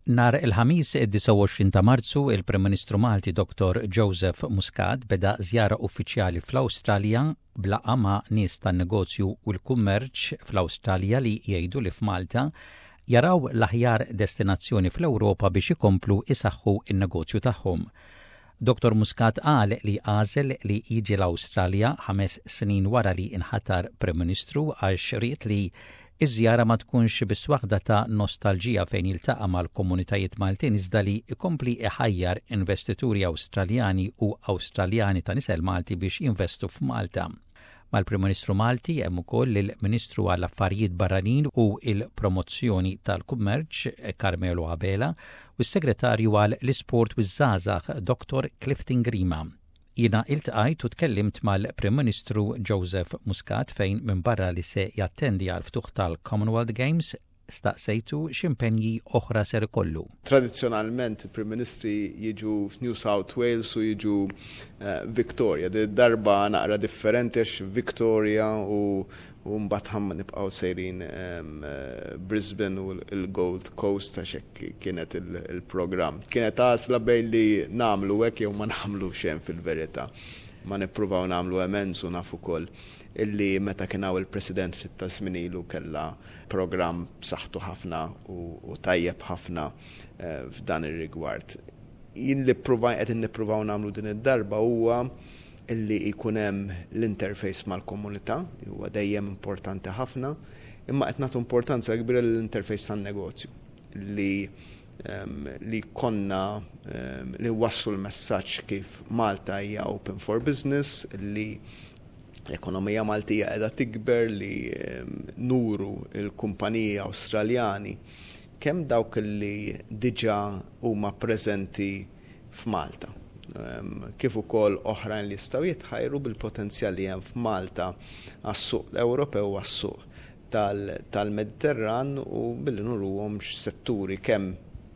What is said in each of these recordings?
Nhar il-Ħamis id-29 ta' Marzu, il-Prim Ministru Malti Dr. Joseph Muscat beda żjara uffiċjali fl-Awstralja b'laqgħa ma' nies tan-negozju u l-kummerċ fl-Awstralja li jgħidu li f'Malta jaraw l-aħjar destinazzjoni fl-Ewropa biex ikomplu isaħħu n-negozju tagħhom. Dr. Muscat qal li għażel li jiġi l-Awstralja 5 snin wara li inħatar Prim Ministru għax ried li iż-żjara ma tkunx biss waħda ta' nostalġija fejn jiltaqa' mal-komunitajiet Maltin iżda li jkompli iħajjar investituri Awstraljani u Awstraljani ta' nisel Malti biex jinvestu f'Malta. Mal-Prim Ministru Malti hemm ukoll il-Ministru għall-Affarijiet Barranin u il-Promozzjoni tal-Kummerċ Carmelo Abela u s-Segretarju għal l-Isport u ż-Żgħażagħ Dr. Clifton Grima. Jiena iltqajt u tkellimt mal-Prim Ministru Joseph Muscat fejn minbarra li se jattendi għal ftuħ tal-Commonwealth Games staqsejtu x'impenji oħra ser ikollu. Tradizzjonalment il-Prim Ministri jiġu f'New South Wales u jiġu Victoria. Din darba naqra differenti għax Victoria u mbagħad ħa nibqgħu sejrin Brisbane u l-Gold Coast għax hekk kienet il-programm. Kienet għażla bejn li nagħmlu hekk jew ma nagħmlu xejn fil-verità. Ma nippruvaw nagħmlu amends u naf ukoll illi meta kien hawn il-President ftit ta' żmien ilu kellha programm b'saħħtu ħafna u tajjeb ħafna f'dan ir-rigward. Jien li qed nippruvaw nagħmlu din id-darba huwa illi jkun hemm l-interface mal-komunità, li huwa dejjem importanti ħafna, imma qed nagħtu importanza kbira l-interface tan-negozju li konna li waslu l-messaġġ kif Malta hija open for business, li l-ekonomija Maltija qiegħda tikber, li nuru il-kumpaniji Awstraljani kemm dawk li diġà huma preżenti f'Malta, kif ukoll oħrajn li jistgħu jitħajru bil-potenzjal li hemm f'Malta għas-suq Ewropew u għas-suq tal-Mediterran u billi nuruhom x'setturi kemm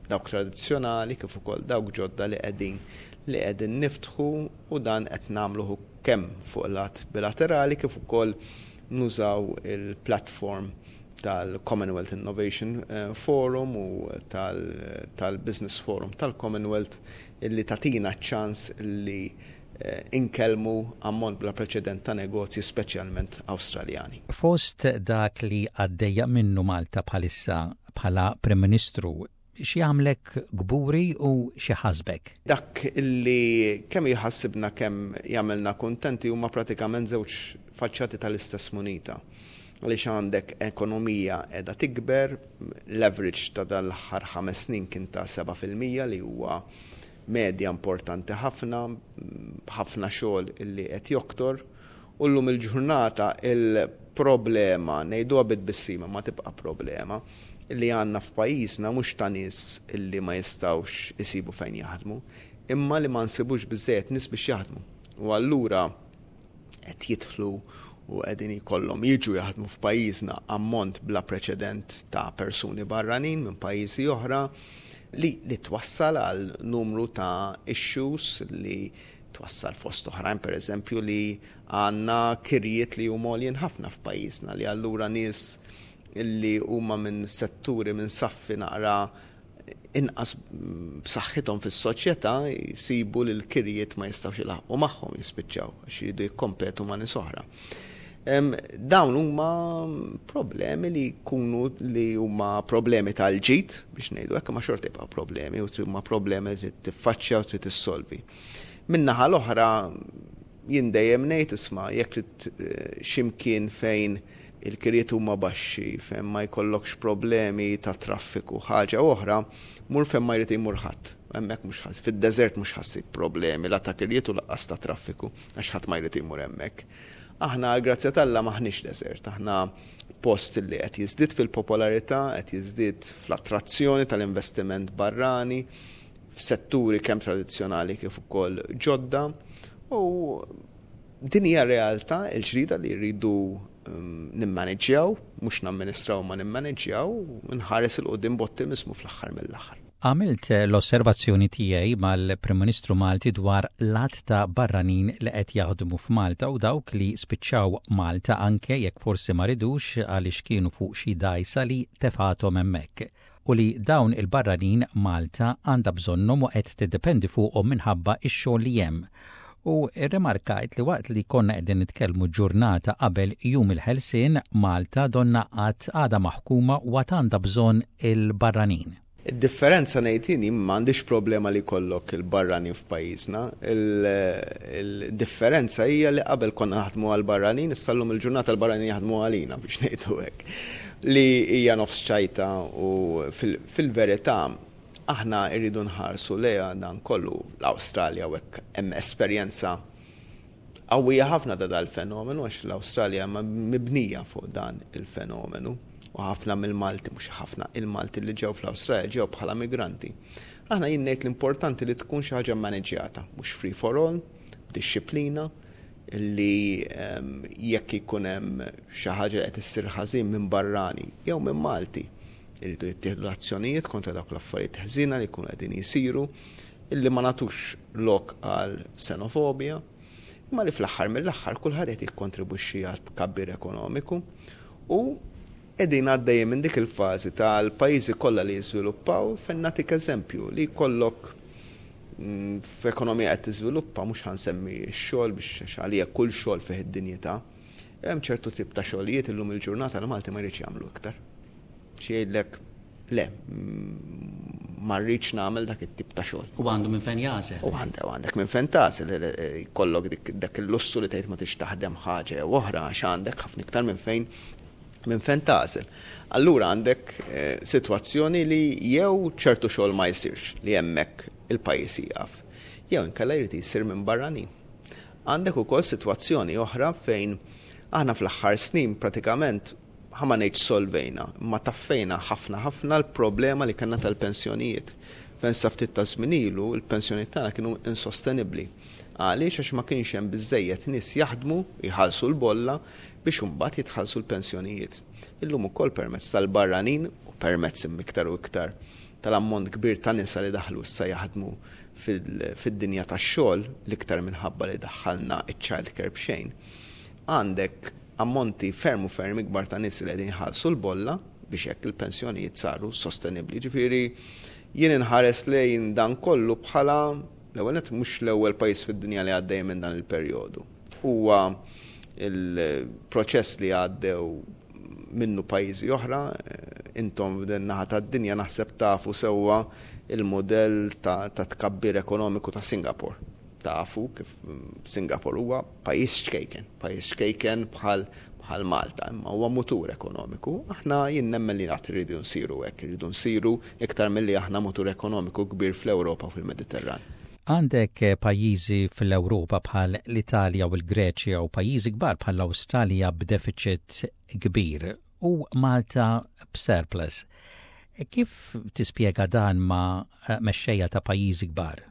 dawk tradizzjonali kif ukoll dawk ġodda li qegħdin niftħu u dan qed nagħmluh kemm fuq lat bilaterali kif ukoll nużaw il-platform tal-Commonwealth Innovation Forum u tal-Business Forum tal-Commonwealth illi tagħtina ċans li inkellmu ammont bla preċedent ta' negozji, speċjalment Awstraljani. Fost dak li għaddejja minnu Malta bħalissa, bħala Prim Ministru, x'jagħmlek kburi u x'iħassbek? Dak illi kemm jħassibna kemm jagħmilna kuntenti huma pratikament żewġ faċċati tal-istess munita. Għaliex għandek ekonomija qiegħda tikber, l-average ta' dal-aħħar 5 snin kien ta' 7% li huwa medja importanti ħafna, ħafna xogħol illi qed joktor, u llum il-ġurnata il-problema, ngħiduha bit-tbissima ma tibqa' problema, illi għandna f'pajjiżna mhux ta' nies illi ma jistgħux isibu fejn jaħdmu, imma li ma nsibux biżejjed nies biex jaħdmu. U allura qed jidħlu u qegħdin jkollhom jiġu jaħdmu f'pajjiżna ammont bla preċedent ta' persuni barranin minn pajjiżi oħra li twassal għal numru ta' issues li twassal fost oħrajn, per eżempju, li għandna kirjiet li huma għoljin ħafna f'pajjiżna, li allura nies li huma minn setturi, minn saffi naqra inqas b'saħħithom fis-soċjetà, jsibu li l-kirjiet ma jistgħux ilaħqu magħhom, jispiċċaw għax jridu jikkompetu ma' nies oħra. Dawn huma problemi li jkunu li huma problemi tal-ġid biex ngħidu hekk, ma xorta jibqgħu problemi u huma problemi li trid tiffaċċja u trid issolvi. Min-naħa l-oħra jien dejjem ngħid, isma', jekk trid x'imkien fejn il-kirjiet huma baxxi, fejn ma jkollokx problemi ta' traffiku, ħaġa oħra, mur fejn ma jrid imur ħadd. Hemmhekk mhux ħadd, fid-deżert mhux ħa ssib problemi la ta' kirjiet u lanqas ta' traffiku, għax ħadd ma jrid imur hemmhekk. Aħna għal grazzja t'Alla m'aħniex deżert, aħna post li qed jiżdied fil-popolarità, qed jiżdied fl-attrazzjoni tal-investiment barrani, f'setturi kemm tradizzjonali kif ukoll ġodda, u din hija realtà l-ġdida li rridu nimmaneġġjaw, mhux namministraw ma nimmaneġġjaw, nħares 'il quddiem b'ottimizmu fl-aħħar mill-aħħar. Għamilt l-osservazzjoni tiegħi mal-Prim Ministru Malti dwar l-għadd ta' barranin li qed jaħdmu f'Malta u dawk li spiċċaw Malta anke jekk forsi ma ridux għaliex kienu fuq xi dgħajsa li tefgħethom hemmhekk. u li dawn il-barranin Malta għandha bżonnhom u qed tiddependi fuqhom minħabba x-xogħol li hemm. U rrimarkajt li waqt li konna qegħdin nitkellmu ġurnata qabel Jum il-Ħelsien, Malta donnha għad għadha maħkuma u għad għandha bżonn il-barranin. Id-differenza ngħid jien, jien m'għandix problema li jkollok il-barranin f'pajjiżna. Il-differenza hija li qabel konna naħdmu għall-barranin, issa llum il-ġurnata l-barranin jaħdmu għalina biex ngħidu hekk. Li hija nofs ċajta u fil-verità aħna rridu nħarsu lejha dan kollu l-Awstralja u hekk hemm esperjenza Qawwija ħafna ta' dal-fenomenu għax l-Awstralja mibnija fuq dan il-fenomenu u ħafna mill-Malti, mhux ħafna, il-Malti li ġew fl-Awstralja ġew bħala migranti. Aħna jien ngħid l-importanti li tkun xi ħaġa mmaniġġjata, mhux free for all, b'dixxiplina, li ehm, jekk ikun hemm xi ħaġa li qed issir ħażin minn barrani jew minn Malti, iridu jittieħdu l-azzjonijiet kontra dawk l-affarijiet ħżiena li jkunu qegħdin jisiru illi ma nagħtux lok għal xenofobja, imma li fl-aħħar mill-aħħar kulħadd qed jikkontribwixxi għal tkabbir ekonomiku u qegħdin għaddejjin minn dik il-fażi tal-pajjiżi kollha li jiżviluppaw fejn nagħtik eżempju li jkollok mm, f'ekonomija qed tiżviluppa mhux ħansemmi x-xogħol biex għalija kull xogħol fih id-dinjità. Hemm ċertu tip ta' xogħlijiet illum il-ġurnata li Malti ma jridx jagħmlu iktar. Xi jgħidlek le, ma rridx nagħmel dak it-tip ta' xogħol. U għandu minn fejn jagħżel. U għandek għandek minn fejn tagħżel, jkollok dak il-lussu li tgħid ma tix taħdem ħaġa jew oħra għax għandek ħafna iktar minn fejn minn fejn tagħżel. Allura għandek eh, sitwazzjoni li jew ċertu xogħol ma jsirx li hemmhekk il-pajjiż jieqaf, jew inkella jrid jsir minn barranin. Għandek ukoll sitwazzjoni oħra fejn aħna fl-aħħar snin pratikament ħa ma ngħidx solvejna, imma taffejna ħafna ħafna l-problema li kellna tal-pensjonijiet. Fejn sa ftit ta' żmien ilu l-pensjonijiet tagħna kienu insostenibbli. Għaliex? Għax ma kienx hemm biżżejjed nies jaħdmu, jħallsu l-bolla biex imbagħad jitħallsu l-pensjonijiet. Illum ukoll permezz tal-barranin u permezz imma iktar u iktar tal-ammont kbir ta' nisa li daħlu issa jaħdmu fid-dinja tax-xogħol, l-iktar minħabba li daħħalna ċ-child care b'xejn, għandek ammonti ferm u ferm ikbar ta' nies li qegħdin jħallsu l-bolla biex hekk il-pensjonijiet saru sostenibbli. Ġifieri jien inħares lejn dan kollu bħala l-ewwel nett mhux l-ewwel pajjiż fid-dinja li għaddej minn dan il-perjodu. Huwa il-proċess li għaddew minnu pajjiżi oħra, intom f'din naħa tad-dinja naħseb tafu sewwa il-mudell ta' tkabbir ekonomiku ta' Singapore. Tafu kif Singapore huwa pajjiż ċkejken, pajjiż ċkejken bħal bħal Malta, imma huwa mutur ekonomiku. Aħna jien nemmen li għad irridu nsiru hekk, irridu nsiru iktar milli aħna mutur ekonomiku kbir fl-Ewropa u fil-Mediterran. Għandek pajjiżi fl-Ewropa bħal l-Italja u l-Greċja u pajjiżi kbar bħall-Awstralja b'defiċit kbir u Malta b'surplus. Kif tispjega dan ma' mexxejja ta' pajjiżi kbar?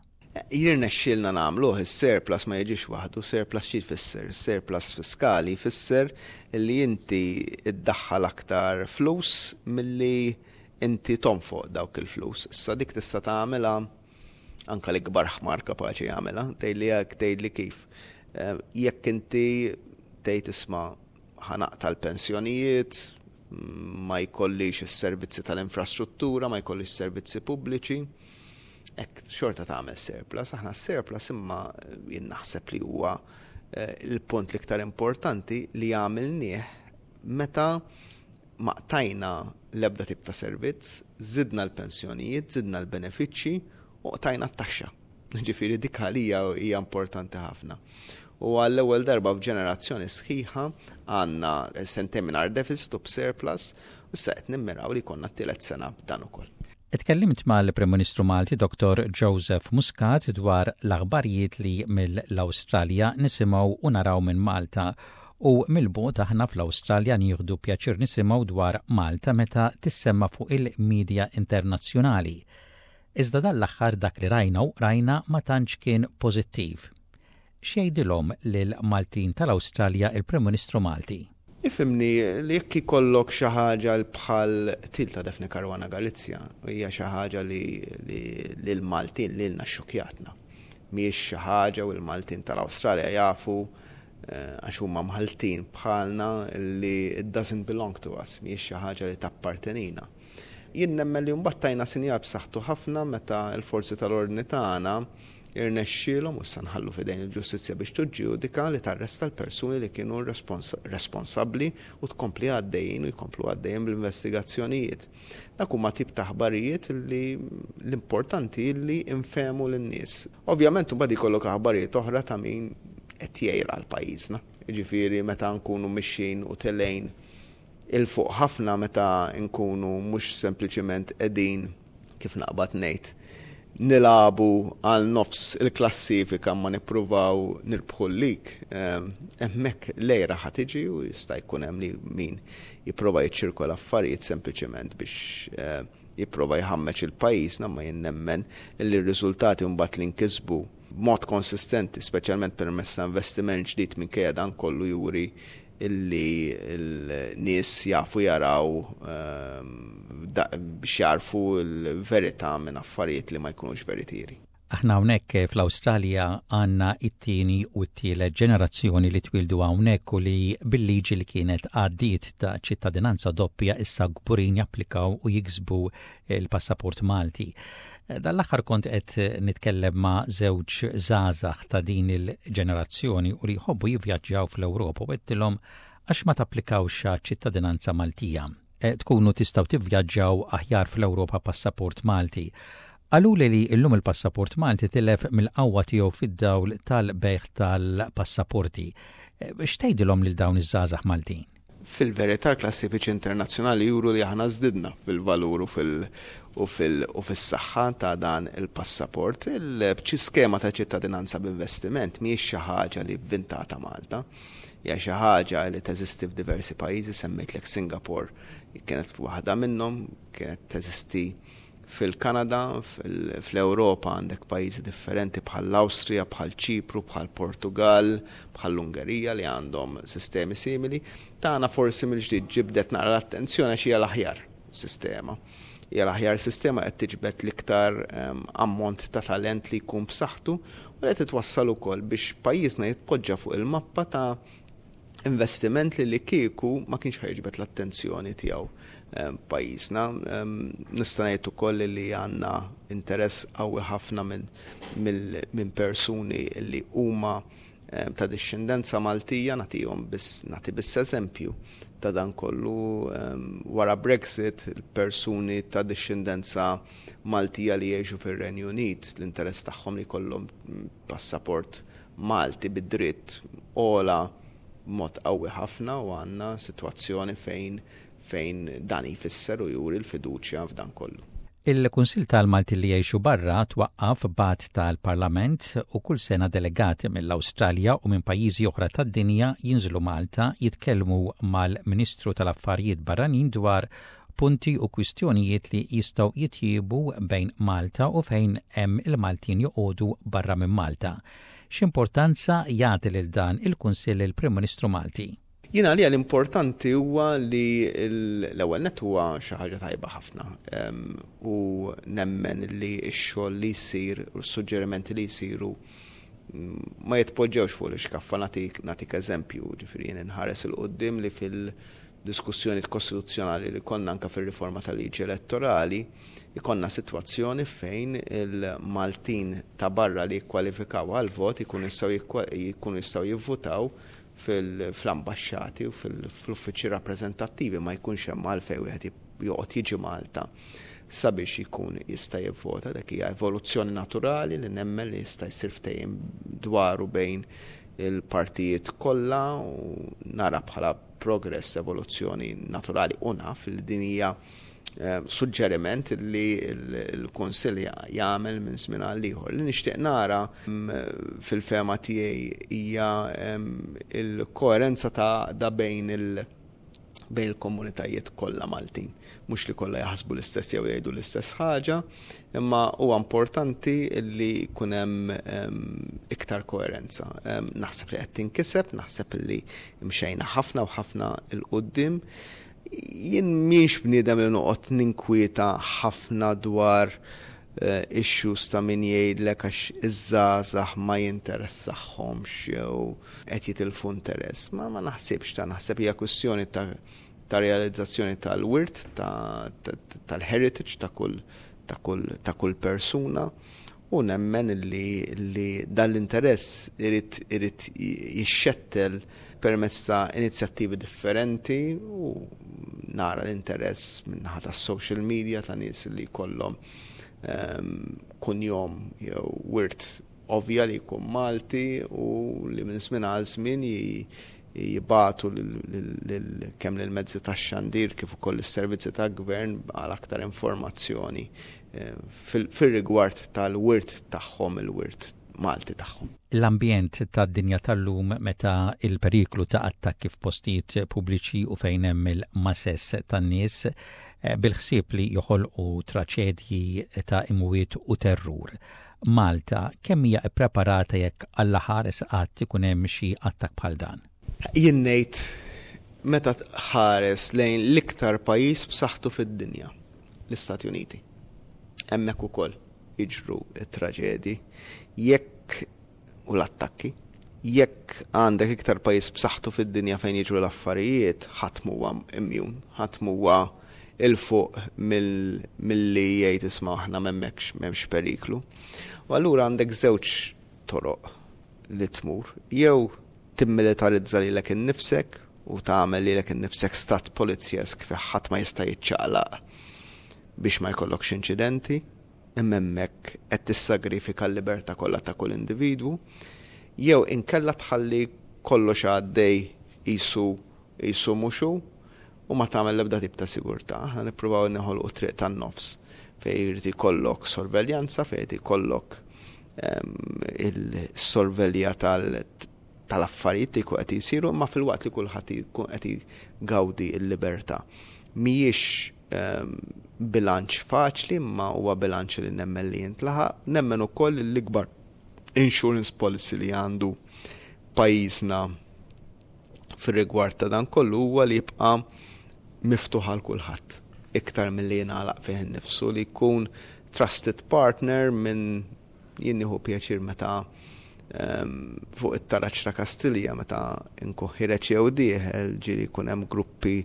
Jirnexxielna nagħmluh, is-surplus ma jiġix waħdu, surplus xi jfisser? Surplus fiskali jfisser li inti ddaħħal aktar flus milli inti tonfoq dawk il-flus. Issa dik tista' tagħmilha anke l-ikbar ħmar kapaċi jagħmilha, tgħidli hekk, tgħidli kif. Eh, jekk inti tgħid isma' ħanaqta l-pensjonijiet, ma jkollix is-servizzi tal-infrastruttura, ma jkollix servizzi pubbliċi, Hekk xorta tagħmel surplus, aħna surplus imma jien naħseb li huwa eh, il-punt l-iktar importanti li għamilnieh meta ma qtajna l-ebda tip ta' servizz, zidna l-pensjonijiet, zidna l-benefiċċji u qtajna t-taxxa. Ġifieri dik għalija hija importanti ħafna. U għall-ewwel darba f'ġenerazzjoni sħiħa għandna sentejn mingħajr deficit u b'surplus, issa qed nimmiraw li jkollna t-tielet sena b'dan ukoll. Tkellimt mal-Prim Ministru Malti Dottor Joseph Muscat dwar l-aħbarijiet li mill-Awstralja nisimgħu u naraw minn Malta u mill-bogħod aħna fl-Awstralja nieħdu pjaċir nisimgħu dwar Malta meta tissemma fuq il-media internazzjonali. Iżda dan l-aħħar dak li rajna u qrajna ma tantx kien pożittiv. X'jgħidilhom lill-Maltin tal-Awstralja il-Prim Ministru Malti? Ifhimni li jekk ikollok xi ħaġa bħal qtil ta' Daphne Caruana Galizia, hija xi ħaġa li lill-Maltin lilna xxukkjatna. Mhijiex xi ħaġa u l-Maltin tal-Awstralja jafu eh, għax huma mħalltin bħalna li it doesn't belong to us, mhijiex xi ħaġa li tappartenina. Jien nemmen li mbagħad tajna sinjal b'saħħtu ħafna meta l-forzi tal-ordni tagħna irnexxielhom, u issa nħallu f'idejn il-ġustizzja biex tiġġudika, li tarresta l-persuni li kienu responsabbli u tkompli għaddejjin u jkomplu għaddejjin bl-investigazzjonijiet. Dak huma tip ta' aħbarijiet li l-importanti li nfehmu lin-nies. Ovvjament imbagħad ikollok aħbarijiet oħra ta' min qed jgħir għal pajjiżna. Jiġifieri meta nkunu mixjin u telgħin 'il fuq ħafna meta nkunu mhux sempliċiment qegħdin, kif naqbad ngħid, nilagħbu għal nofs il-klassifika ma nippruvaw nirbħu l-lig, hemmhekk l-għira ħa tiġi u jista' jkun hemm li min jipprova jiċċirkola affarijiet sempliċement biex jipprova jħammeġ il-pajjiżna, ma jien nemmen li r-riżultati mbagħad li nkisbu b'mod konsistenti, speċjalment permezz ta' investiment ġdid minkejja dan kollu juri illi l-nies jafu jaraw ehm, biex jarfu l-verità minn affarijiet li ma jkunux veritieri. Aħna hawnhekk fl-Awstralja għandna it-tieni u t-tielet ġenerazzjoni li twildu hawnhekk u li bil-liġi li kienet għaddiet ta' ċittadinanza doppja issa kburin japplikaw u jiksbu il-passaport Malti. Dan l-aħħar kont qed nitkellem ma' żewġ żgħażagħ ta' din il-ġenerazzjoni u li jħobbu jivvjaġġjaw fl-Ewropa u għedtilhom għax ma tapplikawx għaċ-ċittadinanza Maltija. E, tkunu tistgħu tivvjaġġaw aħjar fl-Ewropa passaport Malti. Qaluli li llum il-passaport Malti tilef mill-qawwa tiegħu fid-dawl tal-bejgħ tal-passaporti. E, x'tgħidilhom lil dawn iż-żgħażagħ Maltin? Fil-verità l-klassifiċi internazzjonali juru li aħna żdidna fil-valur u fil u fil u fis-saħħa ta' dan il-passaport. Il-skema ta' ċittadinanza b'investiment mhijiex xi ħaġa li vvintata Malta. Hija xi ħaġa li teżisti f'diversi pajjiżi, semmejtlek Singapore kienet waħda minnhom, kienet teżisti Fil-Kanada, fl-Ewropa għandek pajjiżi differenti bħall-Awstrija, bħal Ċipru, bħal Portugall, bħall-Ungerija li għandhom sistemi simili. Tagħna forsi mill-ġdid ġibdet naqra l-attenzjoni għax hija l-aħjar sistema. Hija l-aħjar sistema qed tiġbed l-iktar ehm, ammont ta' talent li jkun b'saħħtu u li qed twassal ukoll biex pajjiżna jitpoġġa fuq il-mappa ta' investiment li li kieku ma kienx ħajġbed l-attenzjoni tiegħu eh, pajjiżna. Ehm, nista' ngħid ukoll li għandna interess qawwi ħafna minn persuni li huma eh, ta' dixxendenza Maltija nagħtihom biss nagħti biss eżempju ta' dan kollu ehm, wara Brexit il-persuni ta' dixxendenza Maltija li jgħixu fir-Renju Unit l-interess tagħhom li jkollhom passaport Malti bi dritt ogħla b'mod qawwi ħafna u għandna sitwazzjoni fejn fejn dan jfisser u juri l-fiduċja f'dan kollu. Il-Kunsill tal-Maltin li Jgħixu Barra twaqqaf b'att tal-Parlament u kull sena delegati mill-Awstralja u minn pajjiżi oħra tad-dinja jinżlu Malta jitkellmu mal-Ministru tal-Affarijiet Barranin dwar punti u kwistjonijiet li jistgħu jitjiebu bejn Malta u fejn hemm il-Maltin joqogħdu barra minn Malta. X'importanza jagħti lil dan il-Kunsill il-Prim Ministru Malti? Jien għalija l-importanti huwa li l-ewwel nett huwa xi ħaġa tajba ħafna u nemmen li x-xogħol li jsir u s-suġġerimenti li jsiru ma jitpoġġewx fuq l-ixkaffa nagħtik nagħtik eżempju, ġifieri jien inħares 'il quddiem li fil diskussjonijiet kostituzzjonali li konna anke fir-riforma tal-liġi elettorali, ikollna sitwazzjoni fejn il-Maltin ta' barra li jikkwalifikaw għall-vot ikunu jistgħu jkunu jistgħu jivvutaw fl-ambaxxati u fl-uffiċċji rappreżentattivi ma jkunx hemm għalfejn wieħed joqgħod jiġi Malta sabiex jkun jista' jivvota. Dak hija evoluzzjoni naturali li nemmen li jista' jsir ftehim dwaru bejn il-partijiet kollha u nara bħala progress, evoluzzjoni naturali u naf li din hija eh, suġġeriment li l-Kunsill jagħmel minn żmien għal ieħor. Li nixtieq nara mm, fil-fema tiegħi hija mm, il-koerenza ta' da bejn il- bejn il-komunitajiet kollha Maltin. Mhux li kollha jaħsbu l-istess jew jgħidu l-istess ħaġa, imma huwa importanti li jkun hemm ehm, iktar koerenza. Ehm, naħseb li qed tinkiseb, naħseb li mxejna ħafna u ħafna il qudiem Jien miex bniedem li noqgħod ninkwieta ħafna dwar eh, issues ta' min jgħidlek għax iż-żgħażagħ ma jinteressaħħomx jew qed jitilfu interess. Ma ma naħsibx ta' naħseb hija kwistjoni ta' ta' realizzazzjoni tal-wirt, tal-heritage ta' kull ta' kull ta' kull persuna u nemmen li, li dan l-interess irid irid jixxettel permezz ta' inizjattivi differenti u nara l-interess min-naħa tas-social media ta' nies li jkollhom ehm, kunjom jew wirt ovvja li jkun Malti u li minn żmien għal żmien jibatu kemm lill-mezzi tax-xandir kif ukoll is-servizzi tal-gvern għal aktar informazzjoni eh, fir-rigward tal-wirt tagħhom, il-wirt Malti tagħhom. L-ambjent tad-dinja tal-lum meta il-periklu ta' attakki f'postijiet pubbliċi u fejn hemm il-mases tan-nies eh, bil-ħsieb li joħolqu traċedji ta' imwiet u terrur. Malta kemm hija ppreparata jekk Alla ħares qatt ikun hemm xi attakk bħal dan? Jien ngħid meta tħares lejn l-iktar pajjiż b'saħħtu fid-dinja, l-Istati Uniti. Hemmhekk ukoll jiġru t-traġedji. Jekk u l-attakki. Jekk għandek iktar pajjiż b'saħħtu fid-dinja fejn jiġru l-affarijiet, ħadd m'huwa immune, ħadd m'huwa 'il fuq milli jgħid isma' aħna m'hemmhekx m'hemmx periklu. U allura għandek żewġ toroq li tmur. Jew timmilitarizza lilek innifsek u tagħmel lilek innifsek stat polizjesk fejn ħadd ma jista' jiċċaqlaq biex ma jkollokx inċidenti, imma hemmhekk qed tissagrifika l-libertà kollha ta' kull individwu, jew inkella tħalli kollox għaddej qisu qisu mhux hu u ma tagħmel l-ebda tip ta' sigurtà. Aħna nippruvaw neħolqu triq tan-nofs fejn irid ikollok sorveljanza, fejn irid ikollok ehm, il-sorvelja tal tal-affarijiet li jkun qed jsiru imma filwaqt li kulħadd jkun qed jgawdi l-libertà. Mhijiex ehm, bilanċ faċli imma huwa bilanċ li nemmen li jintlaħaq. Nemmen ukoll li l-ikbar insurance policy li għandu pajjiżna fir-rigward ta' dan kollu huwa li jibqa' miftuħ għal kulħadd iktar milli jingħalaq fih innifsu li jkun trusted partner minn Jien nieħu pjaċir meta ehm, fuq it-taraġ ta' Kastilja meta nkun ħireġ jew dieħel ġieli jkun hemm gruppi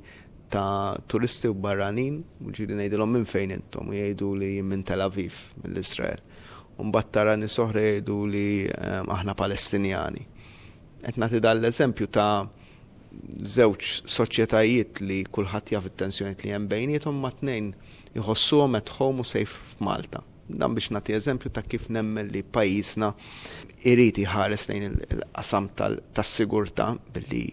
ta' turisti u barranin u ġieli ngħidilhom minn fejn intom u jgħidu li minn Tel Aviv mill-Israel. U mbagħad tara nies oħra jgħidu li ehm, aħna Palestinjani. Qed nagħti dan l-eżempju ta' żewġ soċjetajiet li kulħadd jaf it-tensjonijiet li hemm bejniethom ma tnejn iħossuhom at home u safe f'Malta. Dan biex nagħti eżempju ta' kif nemmen li pajjiżna irid jħares lejn il-qasam tas-sigurtà billi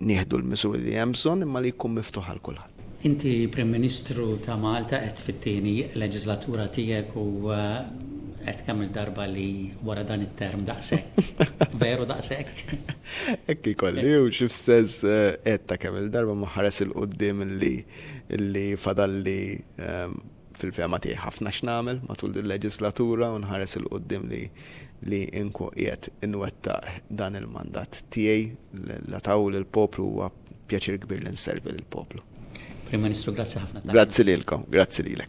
nieħdu l-miżuri li hemm bżonn imma li jkun miftuħ għal kulħadd. Inti Prim Ministru ta' Malta qed fit-tieni leġislatura tiegħek u għedt kemm il-darba li wara dan it-term daqshekk. Veru daqshekk? Hekk ikolli u xi f'sens għedt ta' kemm il-darba ma ħares 'il quddiem illi fadalli fil-fehma tiegħi ħafna x'nagħmel matul din leġislatura u nħares 'il quddiem li li nkun qiegħed inwettaq dan il-mandat tiegħi la taw lill-poplu huwa pjaċir kbir li nservi lill-poplu. Prim Ministru, grazzi ħafna. Grazzi lilkom, grazzi lilek.